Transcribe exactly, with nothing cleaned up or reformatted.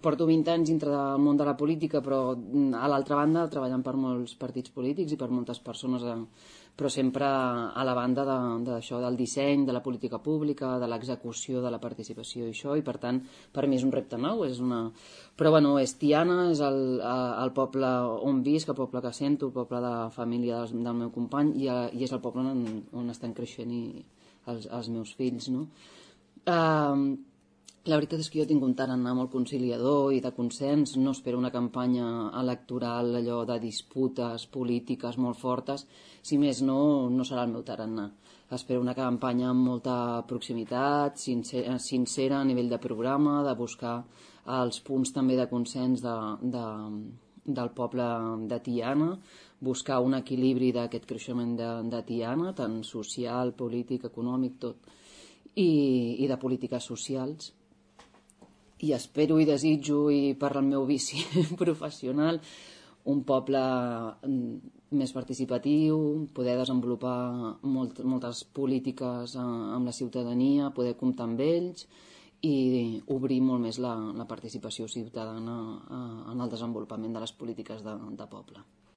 porto vint anys dintre del món de la política, però a l'altra banda treballant per molts partits polítics i per moltes persones, però sempre a la banda d'això, de, del disseny, de la política pública, de l'execució, de la participació i això, i per tant per mi és un repte nou, és una... però bueno, és Tiana, és el, el poble on visc, el poble que sento, el poble de la família del, del meu company, i, i és el poble on, on estan creixent i els, els meus fills, no? Uh, La veritat és que jo tinc un tarannà molt conciliador i de consens, no espero una campanya electoral, allò de disputes polítiques molt fortes, si més no, no serà el meu tarannà. Espero una campanya amb molta proximitat, sincera, sincera a nivell de programa, de buscar els punts també de consens de, de, del poble de Tiana, buscar un equilibri d'aquest creixement de, de Tiana, tant social, polític, econòmic, tot, i, i de polítiques socials. I espero i desitjo, i per al meu vici professional, un poble més participatiu, poder desenvolupar molt, moltes polítiques amb la ciutadania, poder comptar amb ells i obrir molt més la, la participació ciutadana en el desenvolupament de les polítiques de, de poble.